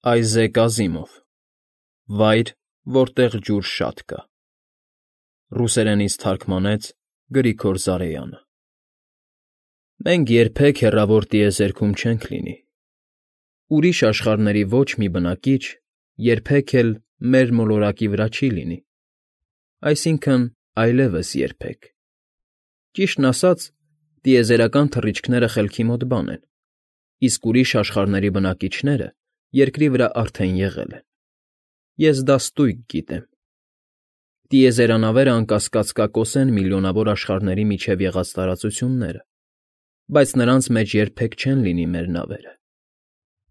Այզեկ Ազիմով, Վայր, որտեղ ջուր շատ կա։ Ռուսերենից թարգմանեց Գրիգոր Զարեյանը։ Մենք երբեք հեռավոր տիեզերքում չենք լինի։ Ուրիշ աշխարհների ոչ մի բնակիչ երբեք էլ մեր մոլորակի վրա չի լինի, այսինքն՝ այլևս երբեք։ Ճիշտն ասած, տիեզերական թռիչքները խելքի մոտ բան են, իսկ ուրիշ աշխարհների բնակիչները երկրի վրա արդեն եղել են։ Ես դա ստույգ գիտեմ։ Տիեզերանավերը անկասկած կկոսեն միլիոնավոր աշխարհների միջև եղած տարածությունները, բայց նրանց մեջ երբեք չեն լինի մեր նավերը։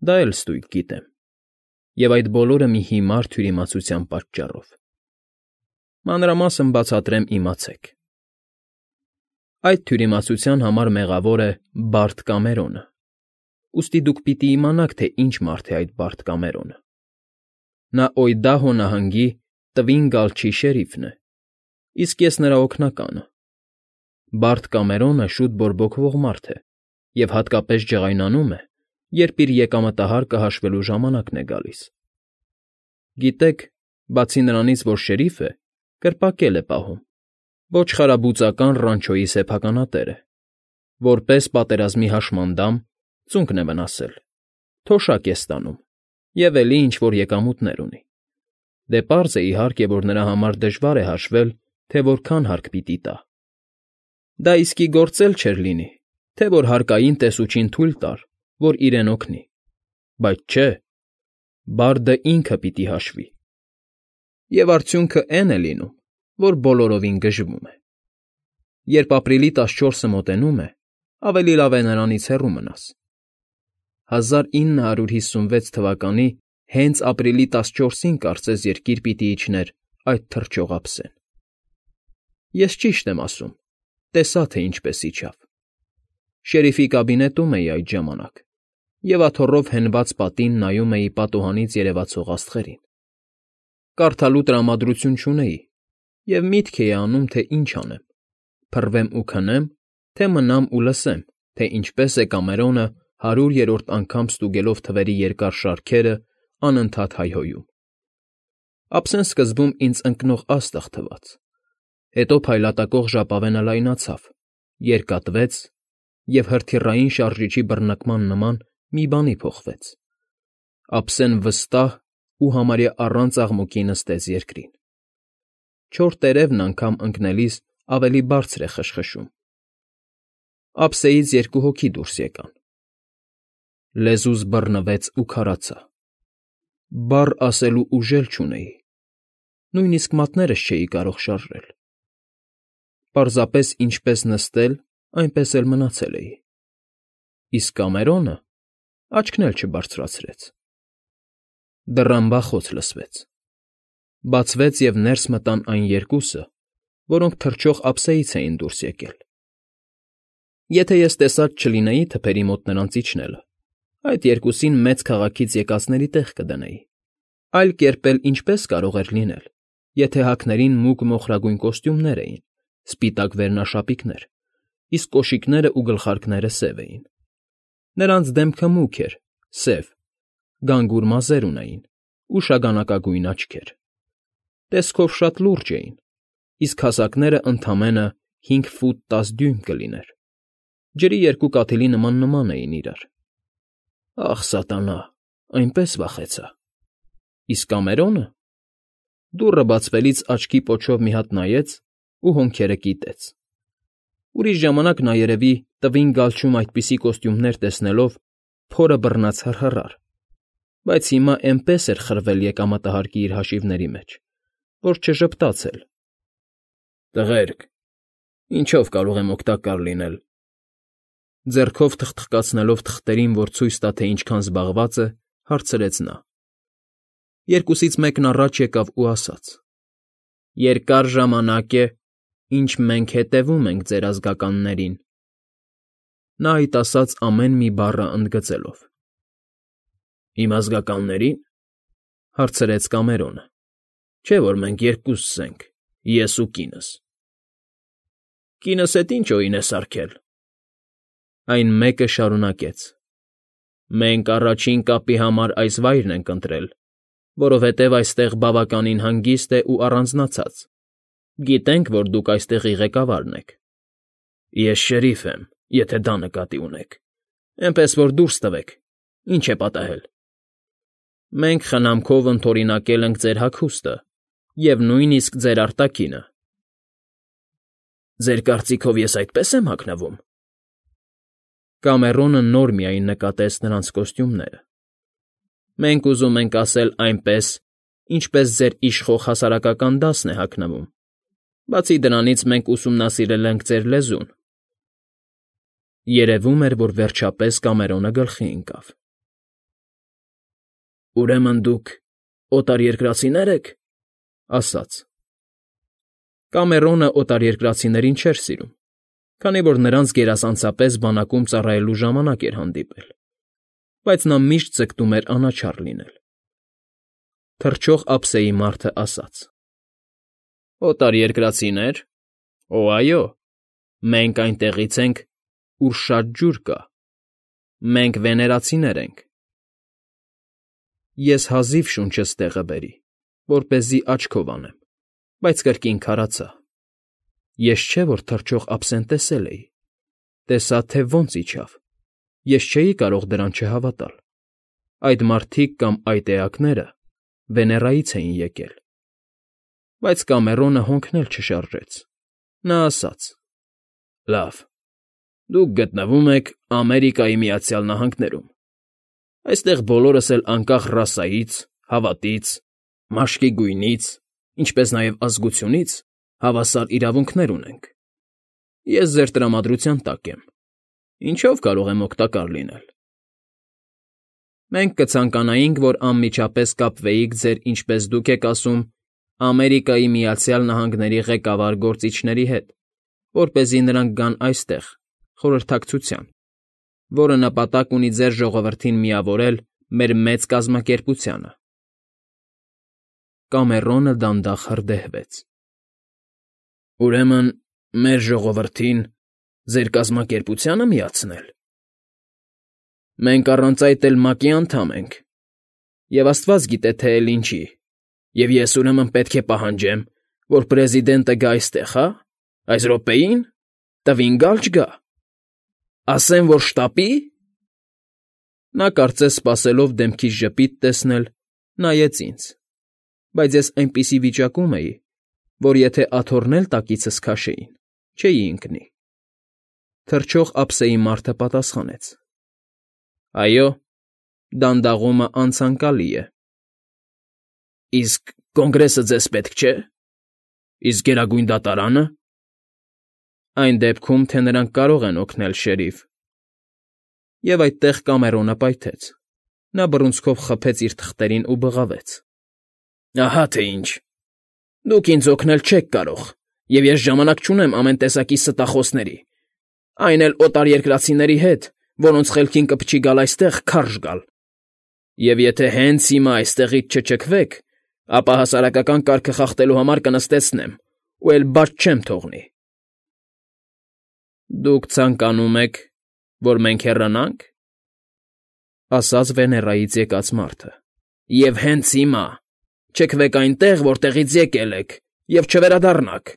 Դա էլ ստույգ գիտեմ։ Եվ այդ բոլորը մի հիմար թյուրիմացության պատճառով։ Մանրամասն բացատրեմ, իմացեք։ Այդ թյուրիմացության համար մեղավոր է Բարդ Կամերոնը, ուստի դուք պիտի իմանաք, թե ինչ մարդ է այդ Բարդ Կամերոնը։ Նա Օյդահո նահանգի Տվին Գալչի շերիֆն է, իսկ ես նրա օգնականը։ Բարդ Կամերոնը շուտ բորբոքվող մարդ է և հատկապես ջղայնանում է, երբ իր եկամտահարկը հաշվելու ժամանակն է գալիս։ Գիտեք, բացի նրանից, որ շերիֆ է, կրպակել է պահում, ոչխարաբուծական ռանչոյի սեփականատեր է, որպես պատերազմի հաշմանդամ ծունկն է վնասել, թոշակ է ստանում և էլի ինչ֊որ եկամուտներ ունի։ Դե պարզ է, իհարկե, որ նրա համար դժվար է հաշվել, թե որքան հարկ պիտի տա։ Դա իսկի գործ էլ չէր լինի, թե որ հարկային տեսուչին թույլ տար, որ իրեն օգնի, բայց չէ, բարդը ինքը պիտի հաշվի։ Եվ արդյունքը էն է լինում, որ բոլորովին գժվում է։ Երբ ապրիլի 14-ը մոտենում է, ավելի լավ է նրանից հեռու մնաս։ 1956 թվականի հենց ապրիլի 14-ին կարծես երկիր պիտի իջներ այդ թռչող ափսեն։ Ես ճիշտ եմ ասում, տեսա, թե ինչպես իջավ։ Շերիֆի կաբինետում էի այդ ժամանակ և աթոռով հենված պատին նայում էի պատուհանից երևացող աստղերին։ Կարդալու տրամադրություն չունեի և միտք էի անում, թե ինչ անեմ՝ փռվեմ ու քնեմ, թե մնամ ու լսեմ, թե ինչպես է Կամերոնը 100-րդ անգամ ստուգելով թվերի երկար շարքերը անընդհատ հայհոյում։ Ափսեն սկզբում ինձ ընկնող աստղ թվաց, հետո փայլատակող ժապավենը լայնացավ, երկատվեց և հրթիռային շարժիչի բռնկման նման մի բանի փոխվեց։ Ափսեն վստահ ու համարյա առանց աղմուկի նստեց երկրին։ Չոր տերևն անգամ ընկնելիս ավելի բարձր է խշխշում։ Ափսեից երկու հոգի դուրս եկան։ Լեզուս բռնվեց ու քարացա։ Բառ ասելու ուժ էլ չունեի, նույնիսկ մատներս չէի կարող շարժել։ Պարզապես ինչպես նստել, այնպես էլ մնացել էի։ Իսկ Կամերոնը աչքն էլ չբարձրացրեց։ Դռան բախոց լսվեց։ Բացվեց և ներս մտան այն երկուսը, որոնք թռչող ափսեից էին դուրս եկել։ Եթե ես տեսած չլինեի թփերի մոտ նրանց իջնելը, այդ երկուսին մեծ քաղաքից եկածների տեղ կդնեի։ Այլ կերպ էլ ինչպե՞ս կարող էր լինել, եթե հակներին մուգ մոխրագույն կոստյումներ էին, սպիտակ վերնաշապիկներ, իսկ կոշիկներն ու գլխարկները սև էին։ Նրանց դեմքը մուգ էր, սև, գանգուր մազեր ունեին ու շագանակագույն աչքեր։ Տեսքով շատ լուրջ էին, իսկ հասակներն ընդամենը 5 ֆուտ 10 դյույմ կլիներ։ Ջրի երկու կաթիլի նման էին իրար։ Ախ, սատանա, այնպես վախեցա։ Իսկ Կամերոնը… Դուռը բացվելիս աչքի պոչով մի հատ նայեց ու հոնքերը կիտեց։ Ուրիշ ժամանակ նա երևի Տվին Գալչում այդպիսի կոստյումներ տեսնելով փորը բռնած հռհռար, բայց հիմա էնպես էր խրվել եկամտահարկի իր հաշիվների մեջ, որ չժպտաց էլ։ Տղերք, ինչո՞վ կարող եմ օգտակար լինել։ Ձեռքով թխթխկացնելով թղթերին, որ ցույց տա, թե ինչքան զբաղված է, հարցրեց նա։ Երկուսից մեկն առաջ եկավ ու ասաց. Երկար ժամանակ է, ինչ մենք հետևում ենք ձեր ազգականներին։ Նա այդ ասաց ամեն մի բառը ընդգծելով։ Իմ ազգականների՞ն, հարցրեց Կամերոնը։ Չէ՞ որ մենք երկուսս ենք, ես ու կինս։ Կինս էդ ինչ օին է սարքել։ Այն մեկը շարունակեց. Մենք առաջին կապի համար այս վայրն ենք ընտրել, որովհետև այստեղ բավականին հանգիստ է ու առանձնացած. գիտենք, որ դուք այստեղի ղեկավարն եք։ Ես շերիֆ եմ, եթե դա նկատի ունեք, էնպես որ դուրս տվեք, ինչ է պատահել։ Մենք խնամքով ընդօրինակել ենք ձեր հագուստը և նույնիսկ ձեր արտաքինը։ Ձեր կարծիքով ես այդպե՞ս եմ հագնվում։ Կամերոնը նոր միայն նկատեց նրանց կոստյումները։ Մենք ուզում ենք ասել այնպես, ինչպես ձեր իշխող հասարակական դասն է հագնվում, բացի դրանից մենք ուսումնասիրել ենք ձեր լեզուն։ Երևում էր, որ վերջապես Կամերոնը գլխի ընկավ։ Ուրեմն դուք օտարերկրացիներ եք, ասաց։ Կամերոնը օտարերկրացիներին չէր սիրում, քանի որ նրանց գերազանցապես բանակում ծառայելու ժամանակ էր հանդիպել, բայց նա միշտ ձգտում էր անաչառ լինել։ Թռչող ափսեի մարդը ասաց. Օտարերկրացիներ։ Օ, այո, մենք այնտեղից ենք, ուր շատ ջուր կա։ Մենք վեներացիներ ենք։ Ես հազիվ շունչս տեղը բերի, որպեսզի աչքով անեմ, բայց կրկին քարացա։ Ես չէ, որ թռչող ափսեն տեսել էի, տեսա, թե ոնց իջավ, ես չէի կարող դրան չհավատալ։ Այդ մարդիկ կամ այդ էակները Վեներայից էին եկել։ Բայց Կամերոնը հոնքնել չշարժեց։ Նա ասաց. Լավ, դուք գտնվում եք Ամերիկայի Միացյալ Նահանգներում։ Այստեղ բոլորս էլ անկախ ռասայից, հավատից, մաշկի գույնից, ինչպես նաև ազգությունից հավասար իրավունքներ ունենք։ Ես ձեր տրամադրության տակ եմ։ Ինչով կարող եմ օգտակար լինել։ Մենք կցանկանայինք, որ անմիջապես կապվեիք ձեր, ինչպես դուք եք ասում, Ամերիկայի Միացյալ Նահանգների ղեկավար գործիչների հետ, որպեսզի նրանք գան այստեղ, խորհրդակցության, որը նպատակ ունի ձեր ժողովրդին միավորել մեր մեծ կազմակերպությանը։ Կամերոնը դանդաղ հրդեհվեց։ Ուրեմն մեր ժողովրդին ձեր կազմակերպությանը միացնել։ Մենք առանց այդ էլ ՄԱԿ-ի անդամ ենք, և աստված գիտե, թե էլ ինչի, և ես ուրեմն պետք է պահանջեմ, որ պրեզիդենտը գա այստեղ, հա՞, այս րոպեին, տվին գալ չգա, ասեմ, որ շտապի։ Նա կարծես սպասելով դեմքիս ժպիտ տեսնել, նայեց ինձ, բայց ես այնպիսի վիճակում էի, որ եթե աթոռն էլ տակիցս քաշեին, չէի ընկնի։ Թռչող ափսեի մարդը պատասխանեց. Այո, դանդաղումը անցանկալի է։ Իսկ կոնգրեսը ձեզ պետք չէ։ Իսկ Գերագույն դատարանը։ Այն դեպքում, թե նրանք կարող են օգնել, շերիֆ։ Եվ այդտեղ Կամերոնը պայթեց։ Նա բռունցքով խփեց իր թղթերին ու բղավեց. Ահա թե ինչ։ Դուք ինձ օգնել չեք կարող, և ես ժամանակ չունեմ ամեն տեսակի ստախոսների, այն էլ օտարերկրացիների հետ, որոնց խելքին կփչի գալ այստեղ քարշ գալ։ Եվ եթե հենց հիմա այստեղից չչքվեք, ապա հասարակական կարգը խախտելու համար կնստեցնեմ ու էլ բաց չեմ թողնի։ Դուք ցանկանում եք, որ մենք հեռանա՞նք, ասաց Վեներայից եկած մարդը։ Եվ հենց հիմա չքվեք այնտեղ, որտեղից եկել եք, և չվերադառնաք։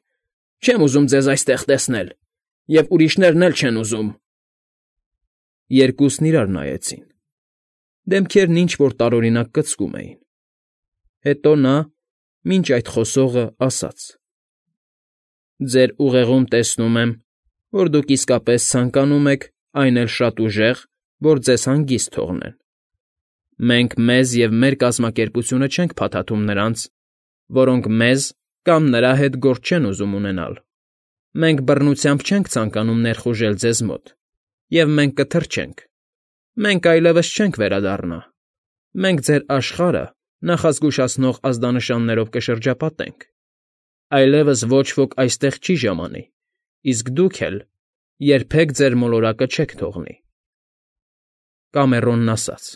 Չեմ ուզում ձեզ այստեղ տեսնել, և ուրիշներն էլ չեն ուզում։ Երկուսն իրար նայեցին։ Դեմքերն ինչ֊որ տարօրինակ կծկում էին։ Հետո նա, մինչ այդ խոսողը, ասաց. Ձեր ուղեղում տեսնում եմ, որ դուք իսկապես ցանկանում եք, այն էլ շատ ուժեղ, որ ձեզ հանգիստ թողնեն։ Մենք մեզ և մեր կազմակերպությունը չենք փաթաթում նրանց, որոնք մեզ կամ նրա հետ գործ չեն ուզում ունենալ։ Մենք բռնությամբ չենք ցանկանում ներխուժել ձեզ մոտ, և մենք կթռչենք։ Մենք այլևս չենք վերադառնա։ Մենք ձեր աշխարհը նախազգուշացնող ազդանշաններով կշրջապատենք։ Այլևս ոչ ոք այստեղ չի ժամանի, իսկ դուք էլ երբեք ձեր մոլորակը չեք թողնի։ Կամերոնն ասաց.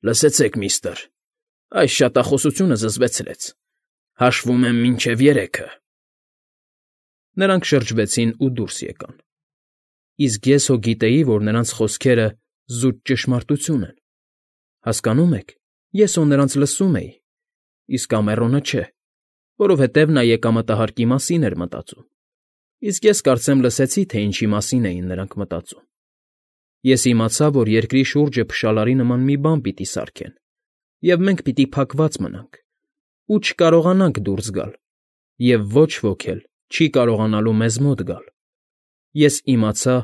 Լսեցեք, միստր, այս շատախոսությունը զզվեցրեց։ Հաշվում եմ մինչև 3-ը։ Նրանք շրջվեցին ու դուրս եկան։ Իսկ ես հո գիտեի, որ նրանց խոսքերը զուտ ճշմարտություն են։ Հասկանո՞ւմ եք, ես հո նրանց լսում էի, իսկ Կամեռոնը չէ, որովհետև նա եկամտահարկի մասին էր մտածում, իսկ ես կարծեմ լսեցի, թե ինչի մասին էին նրանք մտածում։ Ես իմացա, որ երկրի շուրջը փշալարի նման մի բան պիտի սարքեն, և մենք պիտի փակված մնանք ու չկարողանանք դուրս գալ, և ոչ ոք էլ չի կարողանալու մեզ մոտ գալ։ Ես իմացա,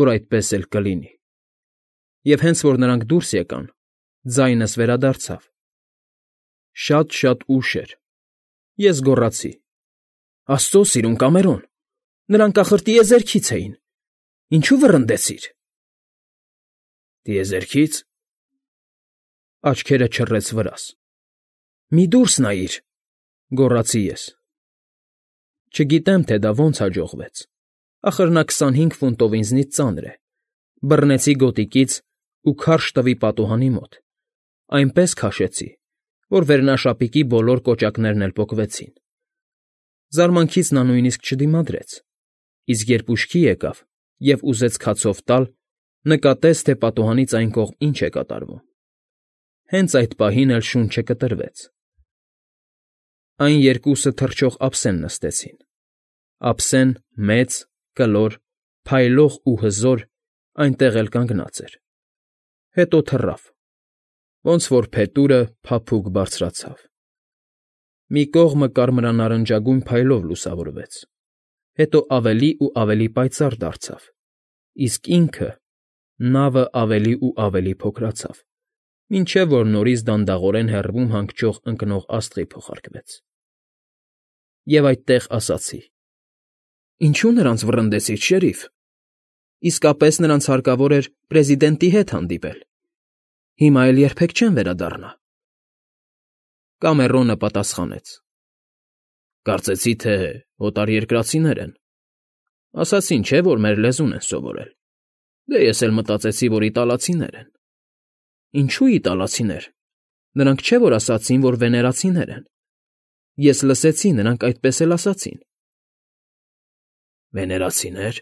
որ այդպես էլ կլինի։ Եվ հենց որ նրանք դուրս եկան, ձայնս վերադարձավ։ Շատ ուշ էր։ Ես գոռացի. «Աստծո սիրուն Կամերոն, նրանք ախր տիեզերքից էին, ինչու վռնդեցիր»։ «Տիեզերքի՞ց»։ Աչքերը չռեց վրաս։ «Մի դուրս նայիր», գոռացի ես։ Չգիտեմ, թե դա ոնց հաջողվեց, ախր նա 25 ֆունտով ինձնից ծանր է։ Բռնեցի գոտիկից ու քարշ տվի պատուհանի մոտ, այնպես քաշեցի, որ վերնաշապիկի բոլոր կոճակներն էլ պոկվեցին։ Զարմանքից նա նույնիսկ չդիմադրեց, իսկ երբ ուշքի եկավ և ուզեց քացով տալ, նկատեց, թե պատուհանից այն կողմ ինչ է կատարվում։ Հենց այդ պահին էլ շունչը կտրվեց։ Այն երկուսը թռչող ափսեն նստեցին։ Ափսեն մեծ, կլոր, փայլող ու հզոր այնտեղ էլ կանգնած էր։ Հետո թռավ, ոնց որ փետուրը փափուկ բարձրացավ։ Մի կողմը կարմրանարնջագույն փայլով լուսավորվեց, հետո ավելի ու ավելի պայծառ դարձավ, իսկ ինքը, նավը ավելի ու ավելի փոքրացավ, մինչև որ նորից դանդաղորեն հեռվում հանգչող ընկնող աստղի փոխարկվեց։ Եվ այդտեղ ասացի. «Ինչո՞ւ նրանց վռնդեցիր, շերիֆ։ Իսկապես նրանց հարկավոր էր պրեզիդենտի հետ հանդիպել։ Հիմա էլ երբեք չեն վերադառնա»։ Կամեռոնը պատասխանեց. «Կարծեցի, թե օտարերկրացիներ են։ Ասացին, չէ՞, որ մեր լեզուն են սովորել։ Դե ես էլ մտածեցի, որ իտալացիներ են»։ «Ինչո՞ւ իտալացիներ։ Նրանք չէ՞ որ ասացին, որ վեներացիներ են։ Ես լսեցի, նրանք այդպես էլ ասացին»։ «Վեներացիներ»։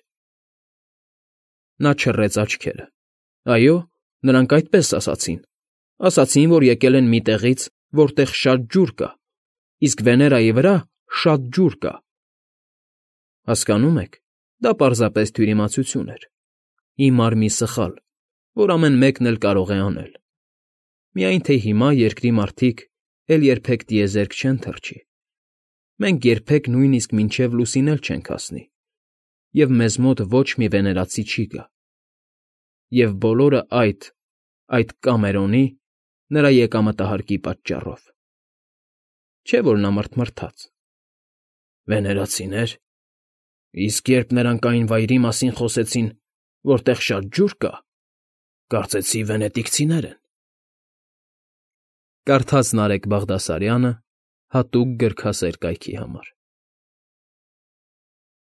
Նա չռեց աչքերը։ Այո, նրանք այդպես ասացին։ Ասացին, որ եկել են մի տեղից, որտեղ շատ ջուր կա, իսկ Վեներայի վրա շատ ջուր կա։ Հասկանո՞ւմ եք, դա պարզապես թյուրիմացություն էր, հիմար մի սխալ, որ ամեն մեկն էլ կարող է անել։ Միայն թե հիմա երկրի մարդիկ էլ երբեք տիեզերք չեն թռչի։ Մենք երբեք նույնիսկ մինչև լուսին էլ չենք հասնի, և մեզ մոտ ոչ մի վեներացի չի գա։ Եվ բոլորը այդ Կամերոնի, նրա եկամտահարկի պատճառով։ Չէ՞ որ նա մռթմռթաց։ Վեներացիներ։ Իսկ երբ նրանք այն վայրի մասին խոսեցին, որտեղ շատ ջուր կա, կարծեցի վենետիկցիներ են։ Կարդաց Նարեկ Բաղդասարյանը հատուկ գրքասեր կայքի համար։